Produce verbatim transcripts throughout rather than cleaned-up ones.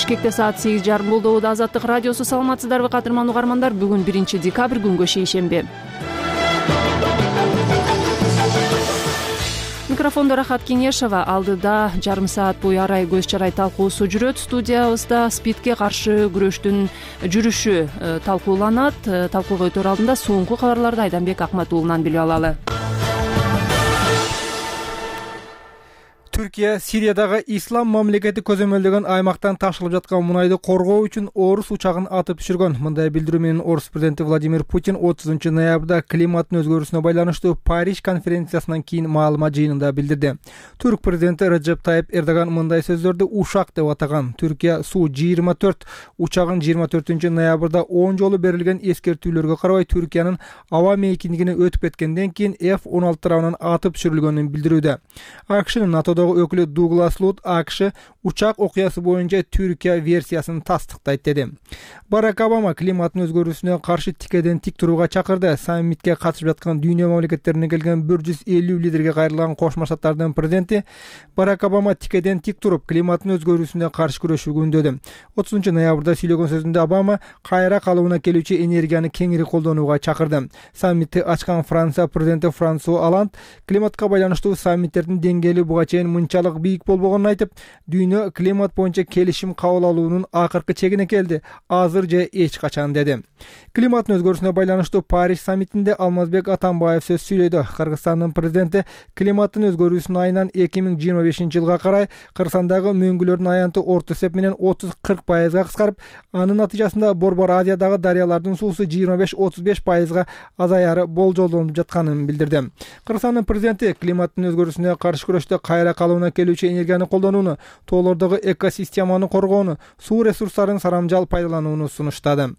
Бишкекте саат сегиз жарым болду. Азаттык радиосу, саламатсыздарбы кадырман угармандар? Бүгүн биринчи декабрь, күнгө шейшемби. Микрофондо Рахат Кеңешова. Алдыда жарым саат бою арай көз чарай талкуусу жүрөт. Студиябызда СПИДке каршы күрөштүн жүрүшү талкууланат. Талкууга өтөр алдында соңку кабарларды Айданбек Акматуулунан билип алалы. Түркия Сириядагы ислам мамлекети көзөмөлдөгөн аймактан ташылып жаткан мунайды коргоо үчүн орус учагын атып түшүргөн. Мындай билдирүү менен орус президенти Владимир Путин отузунчу ноябрда климаттын өзгөрүүсүнө байланыштуу Париж конференциясынан кийин маалымат жыйынында билдирди. Түрк президенти Реджеп Тайип Эрдоган мындай сөздөрдү ушак деп атаган. Түркия Су жыйырма төрт учагын жыйырма төртүнчү ноябрда он жолу берилген эскертүүлөргө карабай Түркиянын аба мейкиндигине өтүп кеткенден кийин эф он алты тарабынан атып түшүрүлгөнүн билдирүүдө. АКШнын НАТОдогу өкүлү Дуглас Лут АКШ учак окуясы боюнча Түркия версиясын тастыктайт деди. Барак Обама климаттын өзгөрүүсүнө каршы тикеден тик турууга чакырды. Саммитке катышып жаткан дүйнө мамлекеттеринен келген бир жүз элүү лидерге кайрылган Кошмо Штаттардын президенти Барак Обама тикеден тик туруп климаттын өзгөрүүсүнө каршы күрөшүүгө үндөдү. отузунчу ноябрда сүйлөгөн сөзүндө Обама кайра калыбына келүүчү энергияны кеңири колдонууга чакырды. Саммитти ачкан Франция президенти Франсуа Оланд климатка байланыштуу саммиттердин деңгээли буга чейин мынчалык бийик болбогонун айтып, дүйнө климат боюнча келишим кабыл алуунун акыркы чегине келди. Азыр же эч качан деди. Климаттын өзгөрүүсүнө байланыштуу Париж саммитинде Алмазбек Атамбаев сөз сүйлөдү. Кыргызстандын президенти климаттын өзгөрүүсүнүн айынан эки миң жыйырма бешинчи жылга карай Кыргызстандагы мөңгүлөрдүн аянты орто эсеп менен отуз кырк пайызга кыскарып, анын натыйжасында Борбор Азиядагы дарыялардын суусу жыйырма беш отуз беш пайызга азаяры болжолдонуп жатканын билдирди. Кыргызстандын президенти климаттын өзгөрүүсүнө каршы күрөштө кайра калыбына келүүчү энергияны колдонууну, тоолордогу экосистеманы коргоону, суу ресурстарын сарамжал пайдаланууну сунуштады.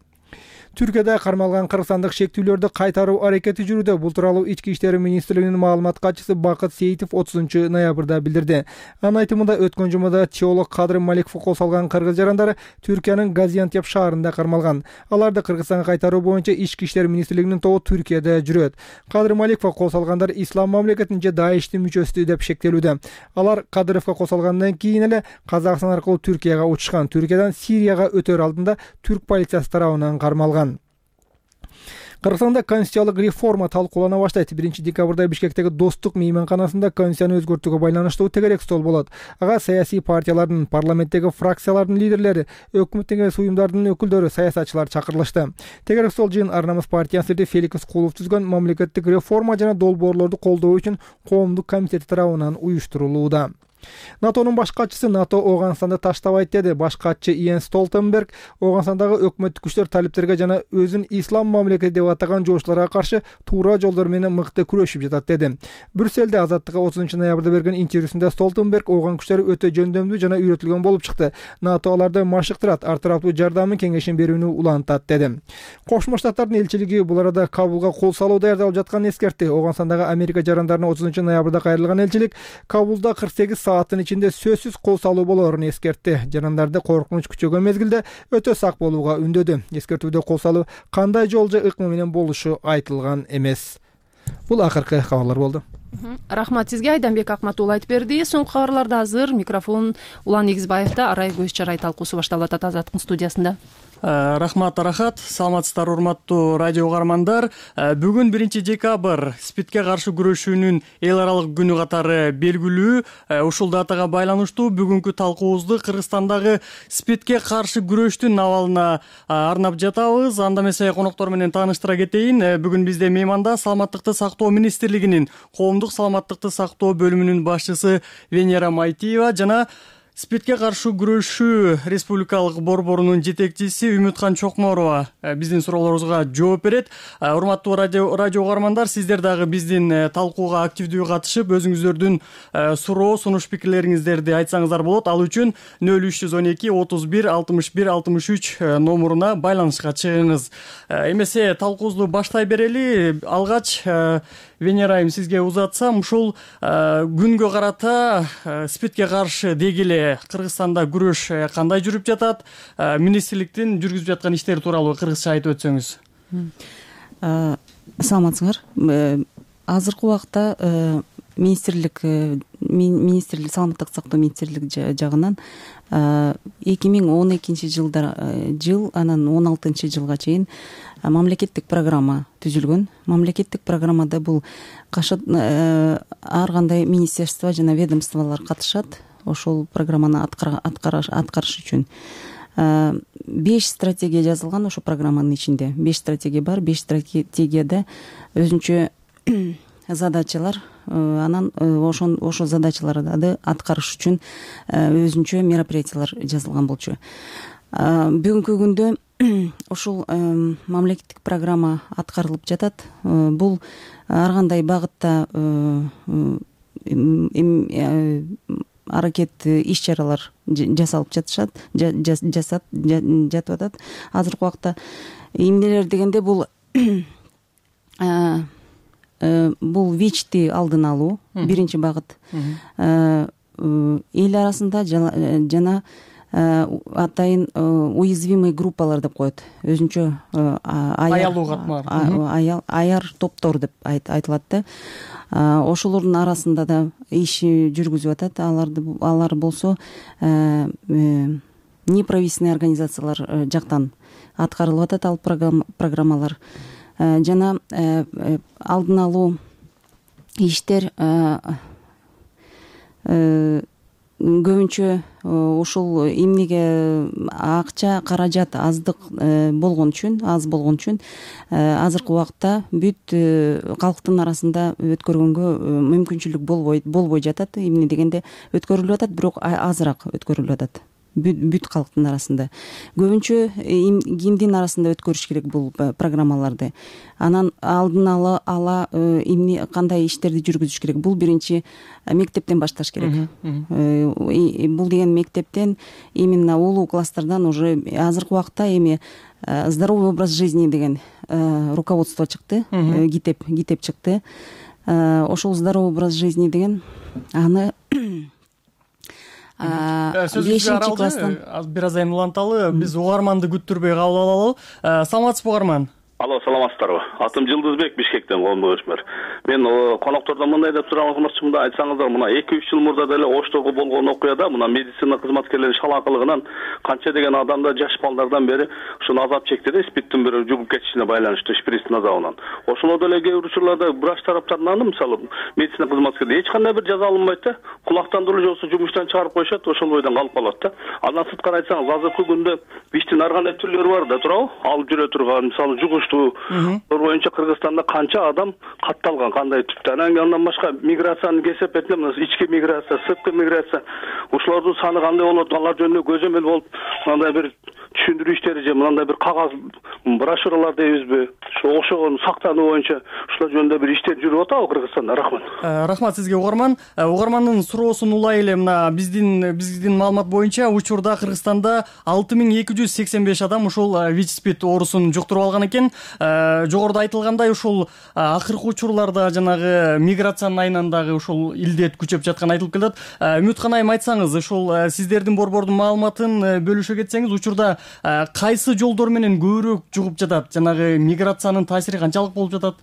Түркияда кармалган кыргызстандык шектүүлөрдү кайтаруу аракети жүрүүдө. Бул тууралуу Ички иштер министрлигинин маалымат катчысы Бакыт Сейитов отузунчу ноябрда билдирди. Анын айтымында өткөн жумада теолог Кадыр Маликов кол салган кыргыз жарандары Түркиянын Газиантеп шаарында кармалган. Аларды Кыргызстанга кайтаруу боюнча Ички иштер министрлигинин тобу Түркияда жүрөт. Кадыр Маликов кол салгандар ислам мамлекетинин же Даиштин мүчөсү деп шектелүүдө. Алар Кадыровго кол салгандан кийин эле Казакстан аркылуу Түркияга учушкан. Түркиядан Сирияга өтөр алдында түрк полициясы тарабынан кармалган. Кыргызстанда конституциялык реформа талкуулана баштайт. биринчи декабрда Бишкектеги Достук мейманканасында конституцияны өзгөртүүгө байланыштуу тегерек стол болот. Ага саясий партиялардын, парламенттеги фракциялардын лидерлери, өкмөттүн эмес уюмдардын өкүлдөрү, саясатчылар чакырылышты. Тегерек стол жыйын Ар намыс партиясынын Феликс Кулов түзгөн мамлекеттик реформа жана долбоорлорду колдоо үчүн коомдук комитет тарабынан уюштурулууда. НАТОнун баш катчысы НАТО Ооганстанды таштабайт деди. Баш катчы Йенс Столтенберг Ооганстандагы өкмөттүк күчтөр талиптерге жана өзүн ислам мамлекети деп атаган жоошчуларга каршы туура жолдор менен мыкты күрөшүп жатат деди. Брюсселде Азаттыкка отузунчу ноябрда берген интервьюсунда Столтенберг Ооган күчтөрү өтө жөндөмдүү жана үйрөтүлгөн болуп чыкты. НАТО аларды машыктырат, ар тараптуу жардамын кеңешин берүүнү улантат деди. Кошмо Штаттардын элчилиги бул арада Кабулга кол салуу даярдалып жатканын эскертти. Ооганстандагы Америка жарандарына отузунчу ноябрда кайрылган элчилик Кабулда кырк сегиз сааттын ичинде сөзсүз кол салуу болоорун эскертти. Жарандарды коркунуч күчөгөн мезгилде өтө сак болууга үндөдү. Эскертүүдө кол салуу кандай жол же ыкма менен болушу айтылган эмес. Бул акыркы кабарлар болду. Рахмат сизге, Айданбек Акматуулу айтып берди. Соңку кабарларда азыр микрофон Улан Эгизбаевда. Арай көз чарай талкуусу башталып атат Азаттыктын студиясында. Рахмат Рахат, саламатсыздар урматтуу радио угармандар. Бүгүн биринчи декабрь СПИДке каршы күрөшүүнүн эл аралык күнү катары белгилүү. Ушул датага байланыштуу бүгүнкү талкуубузду Кыргызстандагы СПИДке каршы күрөштүн абалына арнап жатабыз. Анда эмесе коноктор менен тааныштыра кетейин. Бүгүн бизде мейманда Саламаттыкты сактоо министрлигинин коомдук саламаттыкты сактоо бөлүмүнүн башчысы Венера Майтиева жана СПИДке каршы күрөшүү республикалык борборунун жетекчиси Үмүткан Чокморова биздин суроолорубузга жооп берет. Урматтуу радио радио угармандар, сиздер дагы биздин талкууга активдүү катышып, өзүңүздөрдүн суроо, сунуш пикирлериңиздерди айтсаңыздар болот. Ал үчүн нөл үч жүз он эки отуз бир алтымыш бир алтымыш үч номуруна байланышка чыгыңыз. Эмесе талкуубузду баштай берели. Алгач Венера айым сизге узатсам, ушул күнгө карата СПИДке каршы дегеле Кыргызстанда күрөш кандай жүрүп жатат? Министрликтин жүргүзүп жаткан иштери тууралуу кыргызча айтып өтсөңүз. Саламатсыңар. Азыркы убакта министрлик министрлик саламаттык сактоо министрлиги жагынан эки миң он экинчи жылдар жыл анан он алтынчы жылга чейин мамлекеттик программа түзүлгөн. Мамлекеттик программада бул ар кандай министерство жана ведомстволор катышат ошол программаны аткарыш үчүн. Беш стратегия жазылган ошол программанын ичинде. Беш стратегия бар. Беш стратегияда өзүнчө задачалар, анан ошон ошол задачаларды аткарыш үчүн өзүнчө мероприятиялар жазылган болчу. Бүгүнкү күндө ушул мамлекеттик программа аткарылып жатат. Бул ар кандай багытта аракет иш чаралар жасалып жатышат, жасат жатып атат. Азыркы убакта эмнелер дегенде бул бул ВИЧти алдын алуу биринчи багыт. Эл арасында жана атайын уязвимый группалар деп коет. Өзүнчө аялуу катмар, аяр топтор деп айтылат да. Ошолордун арасында да иш жүргүзүп атат. Аларды алар болсо неправительственный организациялар жактан аткарылып атат ал программалар. Жана алдын алуу иштер көбүнчө ушул эмнеге акча каражат аздык болгон үчүн, аз болгон үчүн азыркы убакта бүт калктын арасында өткөргөнгө мүмкүнчүлүк болбой болбой жатат. Эмне дегенде өткөрүлүп атат, бирок азыраак өткөрүлүп атат бүт калктын арасында. Көбүнчө кимдин арасында өткөрүш керек бул программаларды. Анан алдын ала ала эмне кандай иштерди жүргүзүш керек? Бул биринчи мектептен башташ керек. Бул деген мектептен именно улуу класстардан уже азыркы убакта эми здоровый образ жизни деген руководство чыкты, китеп китеп чыкты. Ошол здоровый образ жизни деген аны бешинчи класстан бир азайын уланталы, биз угарманды күттүрбөй кабыл алалы. Саламатсызбы угарман? Алло, саламатсыздарбы? Атым Жылдызбек, Бишкектен, коомдук өчмөр. Мен коноктордон мындай деп сурамакчымын, айтсаңыздар, мына эки үч жыл мурда деле Оштогу болгон окуяда мына медицина кызматкерлеринин шалаакылыгынан канча деген адамдар жаш балдардан бери ушуну азап чекти да, спирттин бир жугуп кетишине байланыштуу, шприцтин азабынан. Ошолор деле кээ бир учурларда врач тараптарынан, мисалы, медицина кызматкерлери эч кандай бир жаза алынбайт да, кулактан деле жоксо жумуштан чыгарып коюшат, ошол бойдон калып калат да. Андан сырткары айтсаңыз, азыркы күндө ВИЧтин ар кандай түрлөрү бар да, туурабы? Алып жүрө турган, мисалы, жугуштуу боюнча Кыргызстанда канча адам катталган, кандай түптө. Андан башка миграциянын кесеп этинде мына ички миграция, сырткы миграция, ушулардын саны кандай болот, алар жөнүндө көзөмөл болуп, мындай бир түшүндүрүү иштери же мындай бир кагаз брошюралар дейбизби, ошо окшогон сактануу боюнча ушулар жөнүндө бир иштер жүрүп атабы Кыргызстанда? Рахмат. Рахмат сизге угарман. Угармандын суроосун улай эле, мына биздин биздин маалымат боюнча учурда Кыргызстанда алты миң эки жүз сексен беш адам ушул ВИЧ-спид оорусун жуктуруп алган экен. Жогоруда айтылгандай, ушул акыркы учурларда жанагы миграциянын айынан дагы ушул илдет күчөп жатканы айтылып келет. Үмүткан айым, айтсаңыз, ушул сиздердин борбордун маалыматын бөлүшө кетсеңиз, учурда кайсы жолдор менен көбүрөөк жугуп жатат? Жанагы миграциянын таасири канчалык болуп жатат?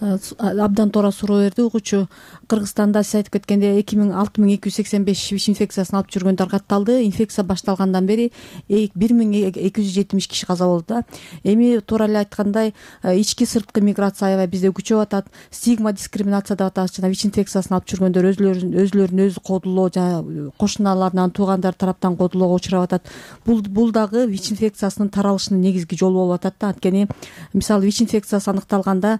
Абдан туура суроо берди угуучу. Кыргызстанда сиз айтып кеткендей эки миң алты миң эки жүз сексен беш ВИЧ инфекциясын алып жүргөндөр катталды. Инфекция башталгандан бери бир миң эки жүз жетимиш киши каза болду да. Эми туура эле айткандай, ички сырткы миграция аябай бизде күчөп атат. Стигма, дискриминация деп атабыз. Жана ВИЧ инфекциясын алып жүргөндөр өзлөрүн өзлөрүн өзү кодулоо, жана кошуналарынан, туугандар тараптан кодулоого учурап атат. Бул бул дагы ВИЧ инфекциясынын таралышынын негизги жолу болуп атат да. Анткени мисалы ВИЧ инфекциясы аныкталганда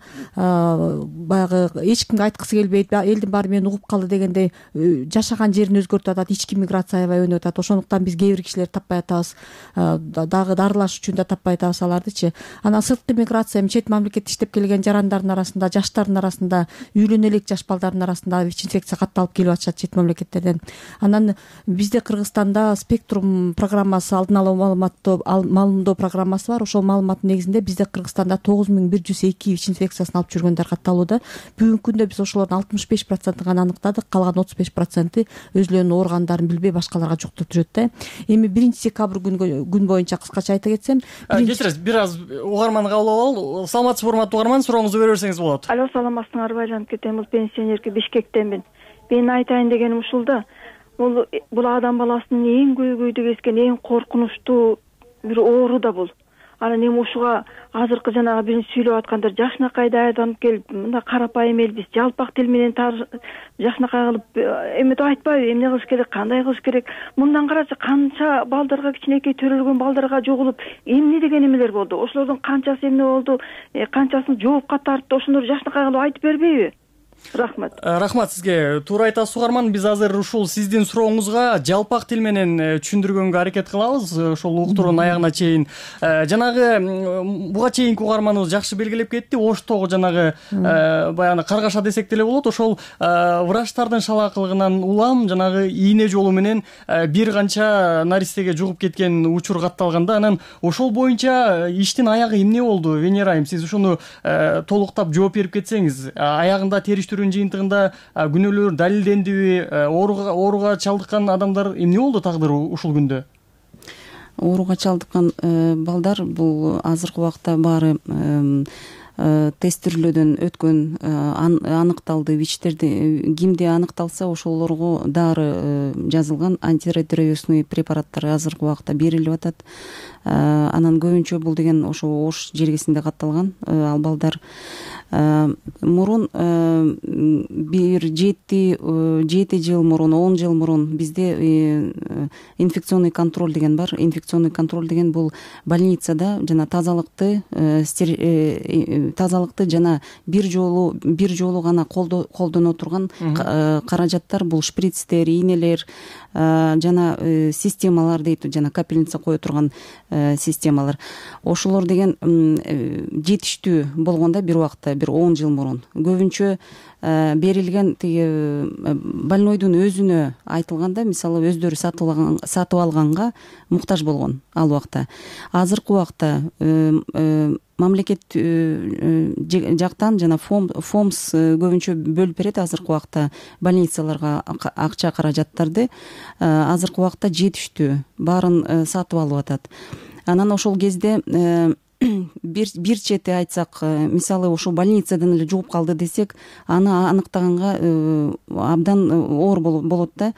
баягы эч кимге айткысы келбейт, элдин баары мени угуп калды дегендей жашаган жерин өзгөртүп атат, ички миграция аябай өнүгүп атат. Ошондуктан биз кээ бир кишилерди таппай атабыз, дагы дарылаш үчүн да таппай атабыз алардычы. Анан сырткы миграция чет мамлекетте иштеп келген жарандардын арасында, жаштардын арасында, үйлөнө элек жаш балдардын арасында ВИЧ инфекция катталып келип атышат чет мамлекеттерден. Анан бизде Кыргызстанда спектрум программасы, алдын ала маалыматтоо маалымдоо программасы бар. Ошол маалыматтын негизинде бизде Кыргызстанда тогуз миң бир жүз эки ВИЧ инфекциясын алып жүргөндөр катталууда. Бүгүнкү күндө биз ошолордун алтымыш беш процентин гана аныктадык, калган отуз беш проценти өзлөрүнүн ооругандарын билбей башкаларга жуктуруп жүрөт да. Эми биринчи декабрь күнгө күн боюнча кыскача айта кетсем, кечиресиз, бир аз угарманды кабыл алалы. Саламатсызбы, урматтуу угарман, сурооңузду бере берсеңиз болот. Алло, саламатсыңарбы? Байланып кетем. Бул пенсионерки Бишкектенмин. Мен айтайын дегеним ушул да. бул бул адам баласынын эң көйгөйдү кескен эң коркунучтуу бир оору да бул. Анан эми ушуга азыркы жанагы биринчи сүйлөп аткандар жакшынакай даярданып келип мындай карапайым эл биз жалпак тил менен жакшынакай кылып эметип айтпайбы, эмне кылыш керек, кандай кылыш керек. Мындан карачы канча балдарга, кичинекей төрөлгөн балдарга жогулуп эмне деген эмелер болду. Ошолордун канчасы эмне болду, канчасын жоопко тартты, ошолорду жакшынакай кылып айтып бербейби? Рахмат. Рахмат сизге. Туура айтасыз угарман. Биз азыр ушул сиздин сурооңузга жалпак тил менен түшүндүргөнгө аракет кылабыз. Ошол уктуруунун аягына чейин. Жанагы буга чейинки угарманыбыз жакшы белгилеп кетти. Оштогу жанагы баягы каргаша десек деле болот. Ошол врачтардын шалаакылыгынан улам жанагы ийне жолу менен бир канча наристеге жугуп кеткен учур катталганда, анан ошол боюнча иштин аягы эмне болду? Венера айым, сиз ушуну толуктап жооп берип кетсеңиз, аягында териштирүүнүн жыйынтыгында күнөөлөр далилдендиби, ооруга ооруга чалдыккан адамдар эмне болду тагдыры ушул күндө? Ооруга чалдыккан балдар бул азыркы убакта баары тестирлөөдөн өткөн, аныкталды. ВИЧтерди кимде аныкталса ошолорго дары жазылган, антиретровирусный препараттар азыркы убакта берилип атат. Анан көбүнчө бул деген ошо Ош жергесинде катталган ал балдар. Мурун бир жети жети жыл мурун, он жыл мурун бизде инфекционный контроль деген бар. Инфекционный контроль деген бул больницада жана тазалыкты тазалыкты жана бир жолу бир жолу гана колдоно турган каражаттар, бул шприцтер, ийнелер жана системалар дейт, жана капельница кое турган системалар. Ошолор деген жетиштүү болгондо бир убакта, бир он жыл мурун көбүнчө берилген тиги больнойдун өзүнө айтылганда, мисалы өздөрү сатып алганга муктаж болгон ал убакта. Азыркы убакта мамлекет жактан жана фомс көбүнчө бөлүп берет азыркы убакта больницаларга акча каражаттарды. Азыркы убакта жетиштүү, баарын сатып алып атат. Анан ошол кезде бир бир чети айтсак, мисалы ошол больницадан эле жугуп калды десек, аны аныктаганга абдан оор болот да.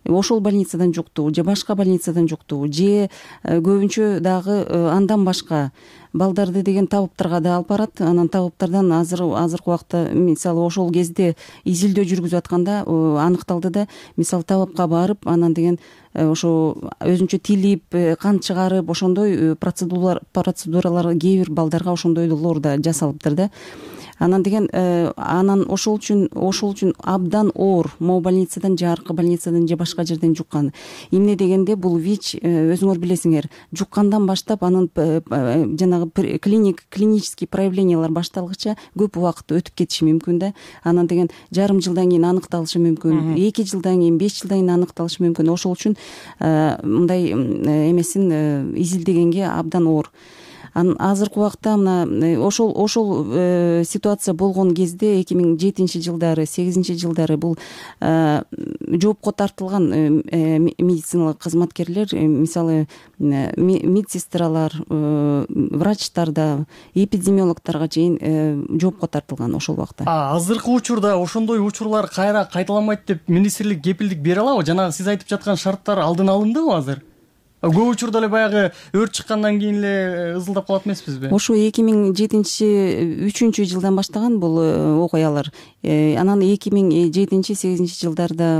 Ошол больницадан жукту, же башка больницадан жукту, же көбүнчө дагы андан башка балдарды деген табыптарга да алып барат. Анан табыптардан азыр азыркы убакта мисалы ошол кезде изилдөө жүргүзүп атканда аныкталды да, мисалы табыпка барып, анан деген ошо өзүнчө тилип, кан чыгарып, ошондой процедуралар процедуралар кээ бир балдарга ошондойлор да жасалыптыр да. Анан деген анан ошол үчүн ошол үчүн абдан оор могу больницадан же аркы больницадан же башка жерден жуккан. Эмне дегенде бул ВИЧ өзүңөр билесиңер, жуккандан баштап анын жанагы клиник клинический проявлениялар башталгыча көп убакыт өтүп кетиши мүмкүн да. Анан деген жарым жылдан кийин аныкталышы мүмкүн, эки жылдан кийин, беш жылдан кийин аныкталышы мүмкүн. Ошол үчүн мындай эмесин изилдегенге абдан оор. Азыркы убакта мына ошол ошол ситуация болгон кезде эки миң жетинчи жылдары, сегизинчи жылдары бул жоопко тартылган медициналык кызматкерлер, мисалы медсестралар, врачтар да, эпидемиологторго чейин жоопко тартылган ошол убакта. Азыркы учурда ошондой учурлар кайра кайталанбайт деп министрлик кепилдик бере алабы? Жанагы сиз айтып жаткан шарттар алдын алындыбы азыр? Көп учурда эле баягы өрт чыккандан кийин эле ызылдап калат эмеспизби? Ошо эки миң жетинчи үчүнчү жылдан баштаган бул окуялар. Анан эки миң жетинчи сегизинчи жылдарда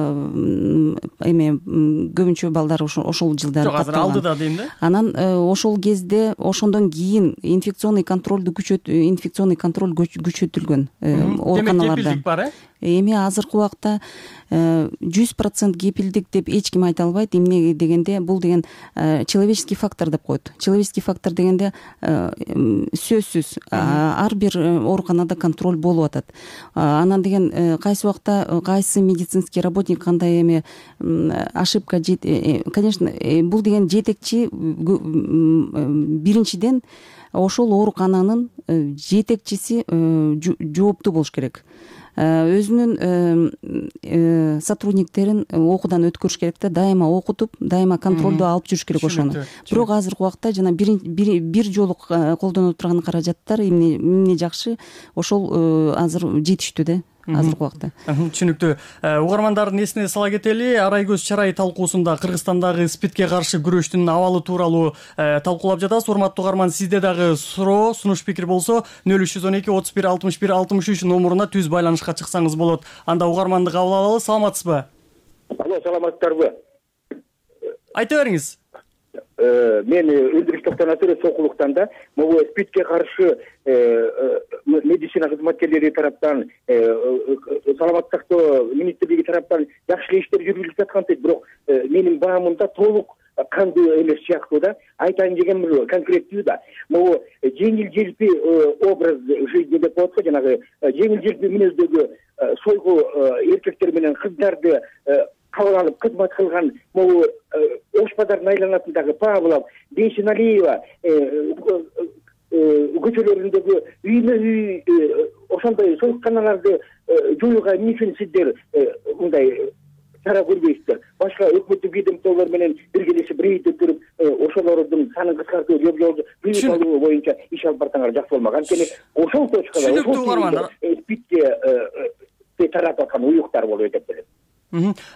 эме көбүнчө балдар ошол жылдары катталган. Жок, азыр алдыда дейм да. Анан ошол кезде ошондон кийин инфекционный контролду күчөт инфекционный контроль күчөтүлгөн ооруканаларда. Демек кепилдик бар, э? Эми азыркы убакта жүз процент кепилдик деп эч ким айта албайт. Эмне дегенде бул деген человеческий фактор деп коет. Человеческий фактор дегенде сөзсүз ар бир ооруканада контроль болуп атат. Анан деген кайсы убакта кайсы медицинский работник кандай эме ошибка, конечно, бул деген жетекчи биринчиден ошол оорукананын жетекчиси жооптуу болуш керек. Өзүнүн сотрудниктерин окуудан өткөрүш керек да, дайыма окутуп, дайыма контролду алып жүрүш керек ошону. Бирок азыркы убакта жана бир жолу колдоно турган каражаттар эмне жакшы, ошол азыр жетиштүү да. азыркы убакта. Түшүнүктүү. Угармандардын эсине сала кетели, арай көз чарай талкуусунда Кыргызстандагы спидке каршы күрөштүн абалы тууралуу талкуулап жатабыз. Урматтуу угарман, сизде дагы суроо, сунуш пикир болсо нөл үч жүз он эки отуз бир алтымыш бир алтымыш үч номуруна түз байланышка чыксаңыз болот. Анда угарманды кабыл алалы. Саламатсызбы? Алло, саламатсыздарбы? Айта бериңиз. Мен Өндүрүш токтонатыр Сокулуктан да могу спидке каршы медицина кызматкерлери тараптан, саламаттык сактоо министрлиги тараптан жакшы иштер жүргүзүлүп жаткантык, бирок менин баамымда толук кандуу эмес сыяктуу да. Айтайын дегеним конкреттүү да. Могу жеңил желпи образ жизни деп коет го, жанагы жеңил желпи мүнөздөгү сойгу эркектер менен кыздарды кабыл алып кызмат кылган могу Ош базарынын айланасындагы Павлов, Бейшеналиева көчөлөрүндөгү үймө үй ошондой союкканаларды жоюуга эмне үчүн сиздер мындай чара көрбөйсүздөр? Башка өкмөттүк ведомстволор менен биргелешип рейд өткөрүп, ошолордун санын кыскартуу, жол бүйүк алуу боюнча иш алып барсаңар жакшы болмок. Анткени ошол точкада ошол спидке таратып аткан уюктар болуп деп билем.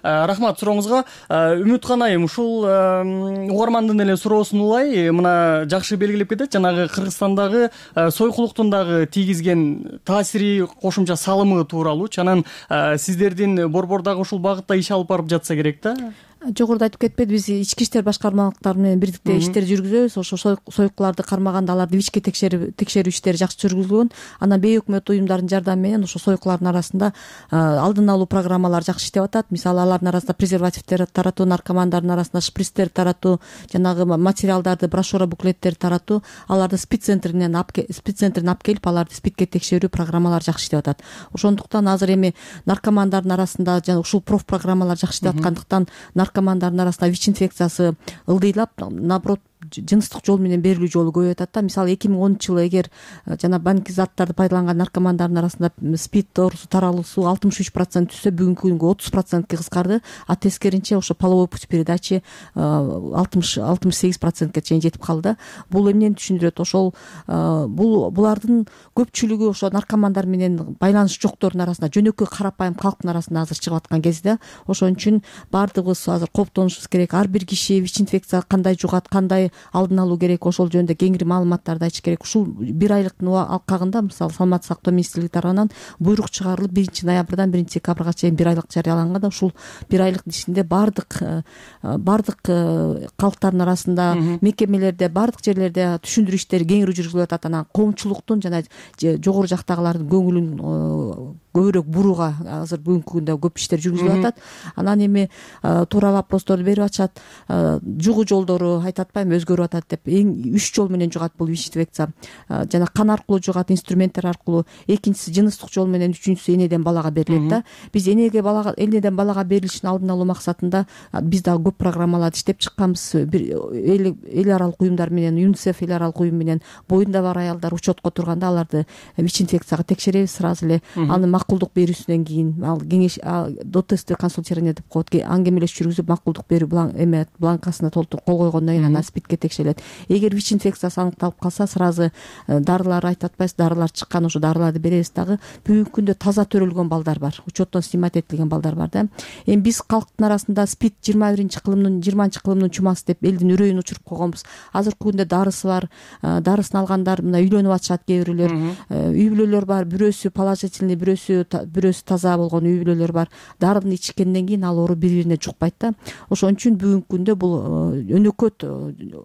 Рахмат сурооңузга. Үмүткан айым, ушул угармандын эле суроосун улай мына жакшы белгилеп кетет. Жанагы Кыргызстандагы сойкулуктун дагы тийгизген таасири, кошумча салымы тууралуучу. Анан сиздердин борбор дагы ушул багытта иш алып барып жатса керек да. Жогоруда айтып кетпедиби, биз ички иштер башкармалыктары менен бирдикте иштер жүргүзөбүз. Ошо сойкуларды кармаганда аларды вичке текшерип текшерүү иштери жакшы жүргүзүлгөн. Анан бейөкмөт уюмдардын жардамы менен ошо сойкулардын арасында алдын алуу программалары жакшы иштеп атат. Мисалы, алардын арасында презервативдер таратуу, наркомандардын арасында шприцтер таратуу, жанагы материалдарды, брошюра, буклеттерди таратуу, аларды спид центринен спид центринен алып келип, аларды спидке текшерүү программалары жакшы иштеп атат. Ошондуктан азыр эми наркомандардын арасында жана ушул проф программалар жакшы иштеп аткандыктан наркомандардын арасында ВИЧ инфекциясы ылдыйлап, наоборот, жыныстык жол менен берилүү жолу көбөйүп атат да. Мисалы, эки миң онунчу жылы эгер жана банки заттарды пайдаланган наркомандардын арасында спид оорусу таралуусу алтымыш үч процент түшсө, бүгүнкү күнгө отуз процентке кыскарды. А тескеринче ошо половой путь передачи алтымыш сегиз процентке чейин жетип калды. Бул эмнени түшүндүрөт? Ошол бул булардын көпчүлүгү ошо наркомандар менен байланыш жоктордун арасында, жөнөкөй карапайым калктын арасында азыр чыгып аткан кезде, ошон үчүн баардыгыбыз азыр кооптонушубуз керек. Ар бир киши ВИЧ инфекция кандай жугат, кандай алдын алуу керек, ошол жөнүндө кеңири маалыматтарды айтыш керек. Ушул бир айлыктын алкагында, мисалы, саламаттык сактоо министрлиги тарабынан буйрук чыгарылып, биринчи ноябрдан биринчи декабрга чейин бир айлык жарыяланган да. Ушул бир айлык ичинде баардык баардык калктардын арасында, мекемелерде, баардык жерлерде түшүндүрүү иштери кеңири жүргүзүлүп атат. Анан коомчулуктун жана жогору жактагылардын көңүлүн көбүрөөк бурууга азыр бүгүнкү күндө көп иштер жүргүзүлүп атат. Анан эми туура вопросторду берип атышат. Жугуу жолдору айтып атпайбы, өзгөрүп атат деп. Эң үч жол менен жугат бул ВИЧ инфекция. Жана кан аркылуу жугат, инструменттер аркылуу. Экинчиси жыныстык жол менен, үчүнчүсү энеден балага берилет да. Биз энеге балага, энеден балага берилишин алдын алуу максатында биз дагы көп программаларды иштеп чыкканбыз. Эл эл аралык уюмдар менен, ЮНИСЕФ эл аралык уюм менен боюнда бар аялдар учетко турганда аларды ВИЧ инфекцияга текшеребиз сразу эле. Аны макулдук берүүсүнөн кийин, ал кеңеш до тестовое консультирование деп коет, аңгемелешип жүргүзүп макулдук берүү эме бланкасына толтуруп кол койгондон кийин анан спидке текшерилет. Эгер ВИЧ инфекциясы аныкталып калса, сразу дарылар айтып атпайсыз, дарылар чыккан, ошо дарыларды беребиз. Дагы бүгүнкү күндө таза төрөлгөн балдар бар, учеттон снимать этилген балдар бар да. Эми биз калктын арасында спид жыйырма биринчи кылымдын жыйырманчы кылымдын чумасы деп элдин үрөйүн учуруп койгонбуз. Азыркы күндө дарысы бар, дарысын алгандар мына үйлөнүп атышат, кээ бирөөлөр. Үй бүлөлөр бар, бирөөсү положительный, бирөөсү бирөөсү таза болгон үй бүлөлөр бар. Дарыны ичкенден кийин ал оору бири-бирине жукпайт да. Ошон үчүн бүгүнкү күндө бул өнөкөт,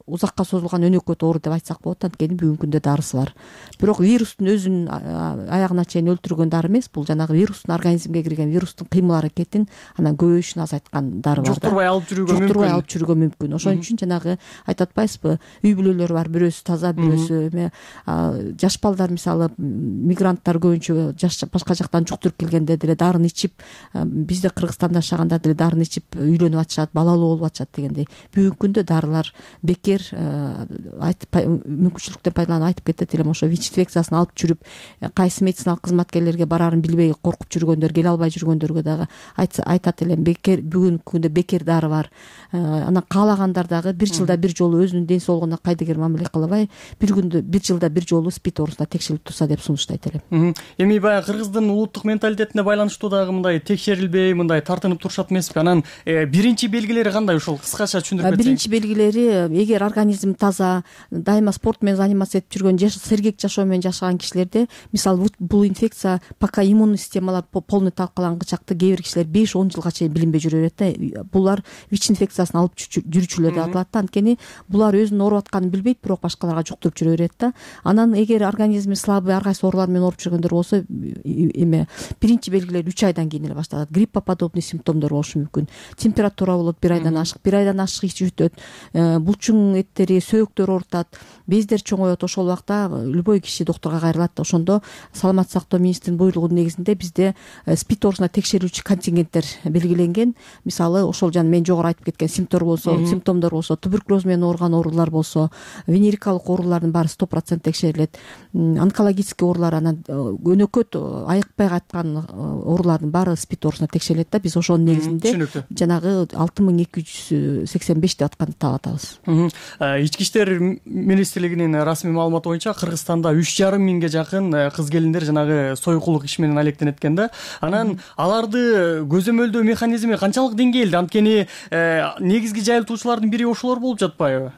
узакка созулган өнөкөт оору деп айтсак болот. Анткени бүгүнкү күндө дарысы бар. Бирок вирустун өзүн аягына чейин өлтүргөн дары эмес, бул жанагы вирустун организмге кирген вирустун кыймыл аракетин анан көбөйүшүн азайткан дары бар да. Жуктурбай алып жүрүүгө мүмкүн. Жуктурбай алып жүрүүгө мүмкүн. Ошон үчүн жанагы айтып атпайсызбы, үй бүлөлөр бар, бирөөсү таза, бирөөсү эме, жаш балдар, мисалы, мигранттар көбүнчө жаш башка жактан жуктуруп келгенде деле дарын ичип, бизде Кыргызстанда жашаганда деле дарын ичип үйлөнүп атышат, балалуу болуп атышат дегендей. Бүгүнкү күндө дарылар бекер, айтып мүмкүнчүлүктөн пайдаланып айтып кетет элем, ошо ВИЧ инфекциясын алып жүрүп, кайсы медициналык кызматкерлерге барарын билбей коркуп жүргөндөр, келе албай жүргөндөргө дагы айтат элем, бекер, бүгүнкү күндө бекер дары бар. Анан каалагандар дагы бир жылда бир жолу өзүнүн ден соолугуна кайдыгер мамиле кылбай, бир күндө бир жылда бир жолу спид оорусуна текшерилип турса деп сунуштайт элем. Эми баягы Кыргыздын улуу улуттук менталитетине байланыштуу дагы мындай текшерилбей мындай тартынып турушат эмеспи? Анан биринчи белгилери кандай, ушул кыскача түшүндүрүп кетсең? Биринчи белгилери, эгер организм таза, дайыма спорт менен заниматься этип жүргөн, сергек жашоо менен жашаган кишилерде, мисалы бул инфекция пока иммунный системалар полный талкалангычакты кээ бир кишилер беш он жылга чейин билинбей жүрө берет да. Булар ВИЧ инфекциясын алып жүрүүчүлөр деп аталат да. Анткени булар өзүнүн ооруп атканын билбейт, бирок башкаларга жуктуруп жүрө берет да. Анан эгер организми слабый, ар кайсы оорулар менен ооруп жүргөндөр болсо, эме биринчи белгилер үч айдан кийин эле башталат. Гриппа подобный симптомдор болушу мүмкүн. Температура болот бир айдан ашык, бир айдан ашык ич өтөт, булчуң эттери, сөөктөр оорутат, бездер чоңоет. Ошол убакта любой киши доктурга кайрылат. Ошондо саламаттык сактоо министринин буйругунун негизинде бизде СПИД оорусуна текшерүүчү контингенттер белгиленген. Мисалы ошол жана мен жогору айтып кеткен симптом болсо, симптомдор болсо, туберкулез менен ооруган оорулар болсо, венерикалык оорулардын баары сто процент текшерилет. Онкологический оорулар, анан өнөкөт айыкпай кайткан оорулардын баары СПИД оорусуна текшерилет да. Биз ошонун негизинде жанагы алты миң эки жүз сексен беш деп атканды таап атабыз. Ички иштер министрлигинин расмий маалыматы боюнча Кыргызстанда үч жарым миңге жакын кыз келиндер жанагы сойкулук иш менен алектенет экен да. Анан аларды көзөмөлдөө механизми канчалык деңгээлде? Анткени негизги жайылтуучулардын бири ошолор болуп жатпайбы?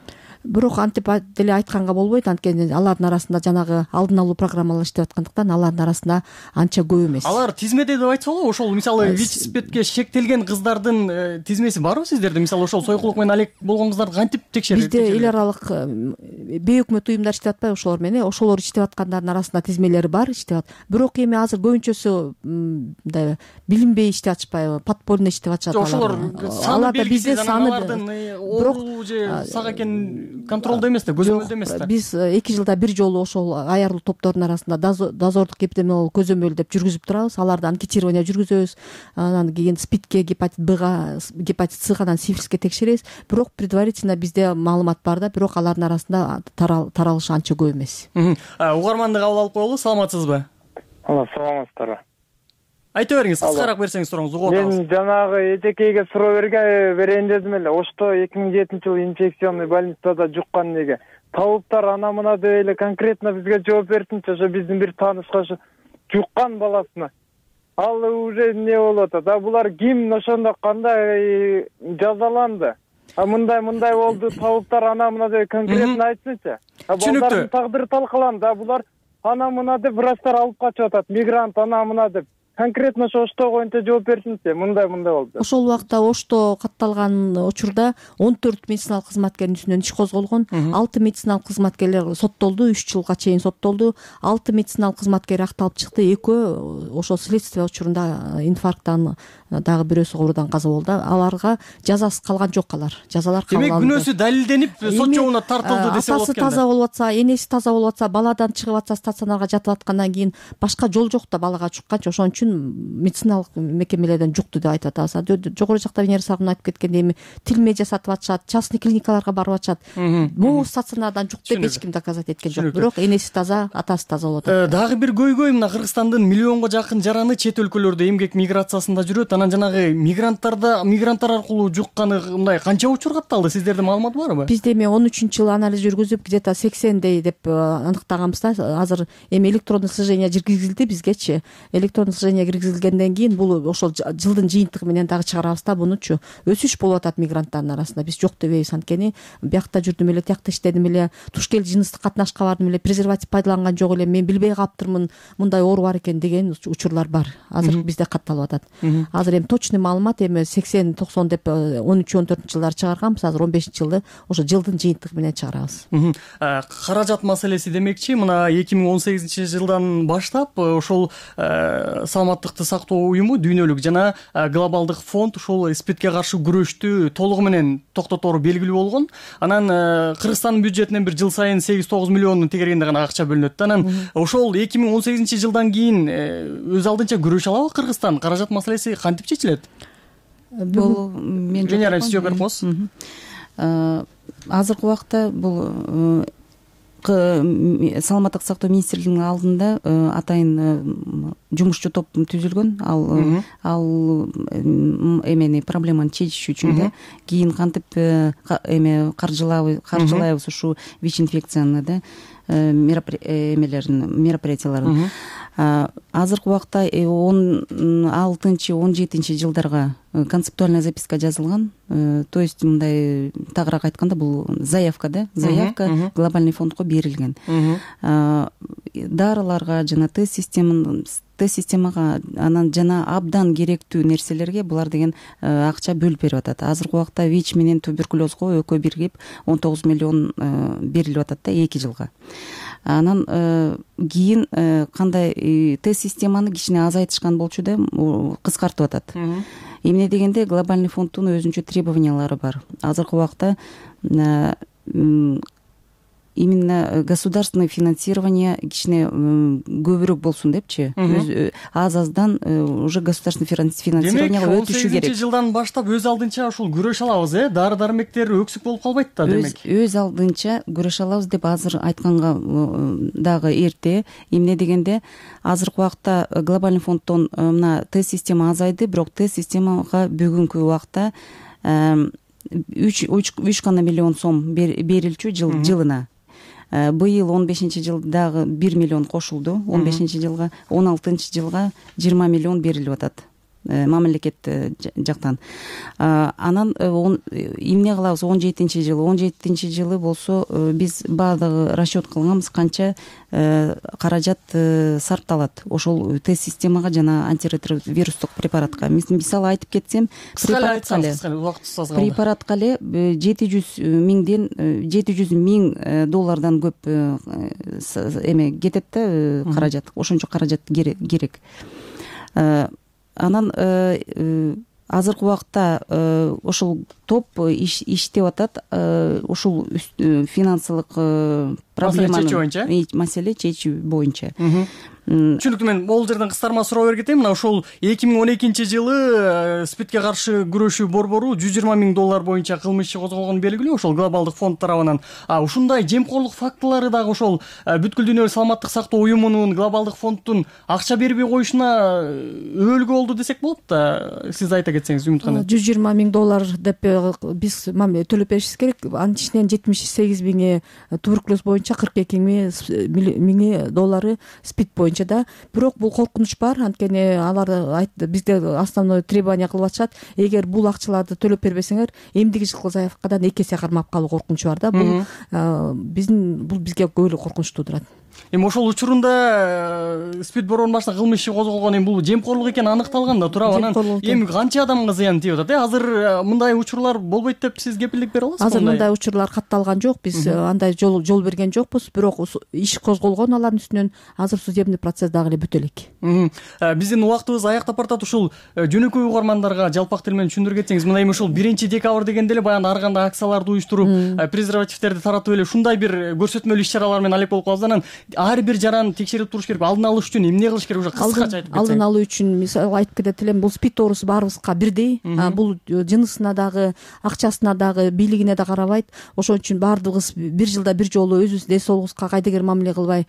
Бирок антип деле айтканга болбойт, анткени алардын арасында жанагы алдын алуу программалар иштеп аткандыктан алардын арасында анча көп эмес. Алар тизмеде деп айтса болобу? Ошол мисалы ВИЧ спидке шектелген кыздардын тизмеси барбы сиздерде? Мисалы ошол сойкулук менен алек болгон кыздарды кантип текшерет? Бизде эл аралык бейөкмөт уюмдар иштеп атпайбы ошолор менен? Ошолор иштеп аткандардын арасында тизмелери бар, иштеп атат. Бирок эми азыр көбүнчөсү мындай билинбей иштеп атышпайбы, подпольно иштеп атышат алар. Аларда бизде саны оору же сак экенин контролдо эмес да, көзөмөлдө эмес да. Биз эки жылда бир жолу ошол аярлуу топтордун арасында дозордук эпидемиологиялык көзөмөл деп жүргүзүп турабыз. Аларды анкетирование жүргүзөбүз. Анан кийин СПИДке, гепатит Бга, гепатит Сга, анан сифилиске текшеребиз. Бирок предварительно бизде маалымат бар да, бирок алардын арасында таралышы анча көп эмес. Угарманды кабыл алып коелу. Саламатсызбы? Алла, саламатсыздарбы? Айта бериңиз, кыскараак берсеңиз сурооңузду угуп атабыз. Мен жанагы эжекейге суроо берейин дедим эле. Ошто эки миң жетинчи жылы инфекционный больницада жуккан неге табыптар ана мына деп эле конкретно бизге жооп берсинчи. Ошо биздин бир таанышка жуккан баласына. Ал уже не болуп атат? А булар ким, ошондо кандай жазаланды? А мындай мындай болду, табыптар ана мына деп конкретно айтсынчы. А балдардын тагдыры талкаланды. А булар ана мына деп врачтар алып качып атат. Мигрант ана мына деп. Конкретно ошо Ошто боюнча жооп берсинчи. Мындай мындай болду. Ошол убакта Ошто катталган учурда он төрт медициналык кызматкердин үстүнөн иш козголгон. алты медициналык кызматкерлер соттолду, үч жылга чейин соттолду. алты медициналык кызматкер акталып чыкты. Экөө ошол следствие учурунда инфаркттан, дагы бирөөсү оорудан каза болду. Аларга жазасы калган жок, алар. Жазалар калган. Демек күнөөсү далилденип сот жолуна тартылды десе болот экен. Атасы таза болуп атса, энеси таза болуп атса, баладан чыгып атса, стационарга жатып аткандан кийин башка жол жок да балага жукканчы. Ошон үчүн медициналык мекемелерден жукту деп айтып атабыз. Жогору жакта Венера Саргун айтып кеткендей, эми тилме жасатып атышат, частный клиникаларга барып атышат. Могу стационардан жук деп эч ким доказать эткен жок. Бирок энеси таза, атасы таза болуп атат. Дагы бир көйгөй мына Кыргызстандын миллионго жакын жараны чет өлкөлөрдө эмгек миграциясында жүрөт. Анан жанагы мигранттарда мигранттар аркылуу жукканы мындай канча учур катталды? Сиздерде маалымат барбы? Бизде эми он үчүнчү жылы анализ жүргүзүп, где-то сексендей деп аныктаганбыз да. Азыр эми электрондук слежение жүргүзүлдү бизгечи. Электрондук слежение киргизилгенден кийин бул ошол жылдын жыйынтыгы менен дагы чыгарабыз да бунучу. Өсүш болуп атат мигранттардын арасында. Биз жок дебейбиз, анткени биякта жүрдүм эле, тиякта иштедим эле, туш кел жыныстык катнашка бардым эле, презерватив пайдаланган жок эле, мен билбей калыптырмын, мындай оору бар экен деген учурлар бар. Азыр бизде катталып атат. Азыр эми точный маалымат эми сексен токсон деп он үч он төртүнчү жылдары чыгарганбыз. Азыр он бешинчи жылды ошо жылдын жыйынтыгы менен чыгарабыз. Каражат маселеси демекчи, мына эки миң он сегизинчи жылдан баштап ошол саламаттыкты сактоо уюму, дүйнөлүк жана глобалдык фонд ушул СПИДке каршы күрөштү толугу менен токтотору белгилүү болгон. Анан Кыргызстандын бюджетинен бир жыл сайын сегиз тогуз миллионун тегергенде гана акча бөлүнөт. Анан ошол эки миң он сегизинчи жылдан кийин өз алдынча күрөшө алабы Кыргызстан? Каражат маселеси кантип чечилет? Бул мен жооп бериңиз. Азыркы убакта бул саламаттык сактоо министрлигинин алдында атайын жумушчу топ түзүлгөн. Ал ал эмени проблеманы чечиш үчүн да кийин кантип эме каржылайбыз каржылайбыз ушу вич инфекцияны да эмелерин мероприятияларын. Азыркы убакта он алтынчы он жетинчи жылдарга концептуальная записка жазылган. То есть мындай тагыраак айтканда бул заявка да заявка глобальный фондко берилген. Дарыларга жана тест система тест системага анан жана абдан керектүү нерселерге булар деген акча бөлүп берип атат. Азыркы убакта вич менен туберкулезго экөө биригип он тогуз миллион берилип атат да эки жылга. Анан кийин кандай тест системаны кичине азайтышкан болчу да, кыскартып атат. Эмне дегенде глобальный фонддун өзүнчө требованиялары бар. Азыркы убакта именно государственное финансирование кичине көбүрөөк болсун депчи. Аз аздан уже государственный финансированияга өтүшү керек. он сегизинчи жылдан баштап өз алдынча ушул күрөш алабыз, э? Дары дармектер өксүк болуп калбайт да демек. Өз алдынча күрөш алабыз деп азыр айтканга дагы эрте. Эмне дегенде азыркы убакта глобальный фонддон мына тест система азайды, бирок тест системага бүгүнкү убакта үч гана миллион сом берилчү жылына. Быйыл он бешинчи жылдагы бир миллион кошулду, он бешинчи жылга, он алтынчы жылга жыйырма миллион берилип атат мамлекет жактан. Анан эмне кылабыз он жетинчи жылы? он жетинчи жылы болсо биз баардыгы расчет кылганбыз канча каражат сарпталат ошол тест системага жана антиретровирустук препаратка. Мисалы айтып кетсем, препаратка эле жети жүз миңден жети жүз миң доллардан көп эме кетет да каражат. Ошончо каражат керек. Анан азыркы убакта ошол топ иштеп атат. Ушул финансылык проблеманы маселе чечүү боюнча. Түшүнүктүү. Мен бул жерден кыстарма суроо берип кетейин. Мына ошол эки миң он экинчи жылы спидке каршы күрөшүү борбору жүз жыйырма миң доллар боюнча кылмыш иши козголгону белгилүү ошол глобалдык фонд тарабынан. А ушундай жемкорлук фактылары дагы ошол бүткүл дүйнөлүк саламаттык сактоо уюмунун глобалдык фонддун акча бербей коюшуна өбөлгү болду десек болот да. Сиз айта кетсеңиз Үмүт ханым. жүз жыйырма миң доллар деп биз төлөп беришибиз керек. Анын ичинен жетимиш сегиз миңи туберкулез боюнча, кырк эки миңи доллары спид боюнча да. Бирок бул коркунуч бар. Анткени алар бизде основной требование кылып атышат. Эгер бул акчаларды төлөп бербесеңер, эмдиги жылкы заявкадан эки эсе кармап калуу коркунучу бар да. Бул биздин бул бизге көбүрөөк коркунуч туудурат. Эми ошол учурунда спид борборунун башында кылмыш иши козголгон, эми бул жемкорлук экени аныкталган да, туурабы? Анан эми канча адамга зыян тийип атат? Азыр мындай учурлар болбойт деп сиз кепилдик бере аласызбы? Азыр мындай учурлар катталган жок. Биз андай жол жол берген жокпуз. Бирок иш козголгон алардын үстүнөн. Азыр судебный процесс дагы эле бүтө элек. Биздин убактыбыз аяктап баратат. Ушул жөнөкөй угармандарга жалпак тил менен түшүндүрүп кетсеңиз, мына эми ушул биринчи декабрь дегенде эле баягы ар кандай акцияларды уюштуруп, презервативтерди таратып эле ушундай бир көрсөтмөлүү иш-чаралар менен алек болуп калабыз. Анан ар бир жаран текшерип туруш керек. Алдын алыш үчүн эмне кылыш керек? Уже кыскача айтып кетсеңиз. Алдын алуу үчүн мисалы айтып кетет элем, бул спид оорусу баарыбызга бирдей. Бул жынысына дагы, акчасына дагы, бийлигине да карабайт. Ошон үчүн баардыгыбыз бир жылда бир жолу өзүбүз ден соолугубузга кайдыгер мамиле кылбай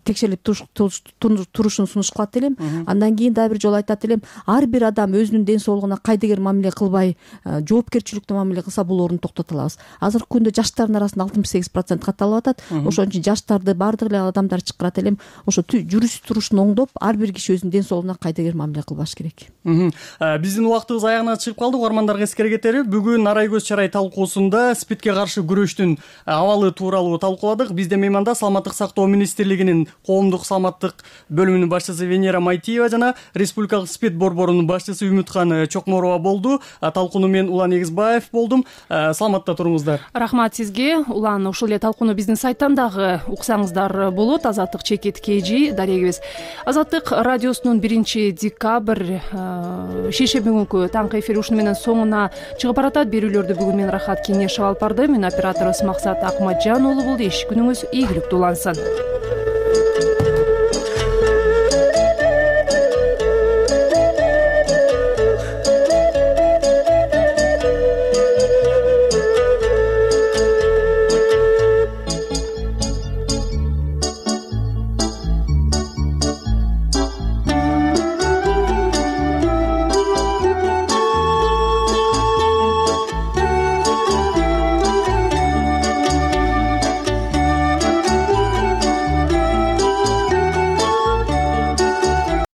текшерип турушун сунуш кылат элем. Андан кийин дагы бир жолу айтат элем, ар бир адам өзүнүн ден соолугуна кайдыгер мамиле кылбай, жоопкерчиликтүү мамиле кылса, бул орун токтото алабыз. Азыркы күндө жаштардын арасында алтымыш сегиз процент катталып атат. Ошон үчүн жаштарды баардык эле адамдар чакырат элем. Ошо жүрүш турушун оңдоп, ар бир киши өзүнүн ден соолугуна кайдыгер мамиле кылбаш керек. Биздин убактыбыз аягына чыгып калды. Угармандарга эскере кетери, бүгүн Нарай көз чарай талкуусунда спидке каршы күрөштүн абалы тууралуу талкууладык. Бизде мейманда саламаттык сактоо министрлигинин коомдук саламаттык бөлүмүнүн башчысы Венера Майтиева жана республикалык спид борборунун башчысы Үмүткан Чокморова болду. Талкууну мен Улан Эгизбаев болдум. Саламатта туруңуздар. Рахмат сизге. Улан, ушул эле талкууну биздин сайттан дагы уксаңыздар болот. Азаттык чекит kg дарегибиз. Азаттык радиосунун биринчи декабрь шейшемби бүгүнкү таңкы эфири ушуну менен соңуна чыгып баратат. Берүүлөрдү бүгүн мен Рахат Кеңешев алып барды. Мен операторубуз Максат Акматжан уулу болду. Иш күнүңүз ийгиликтүү улансын.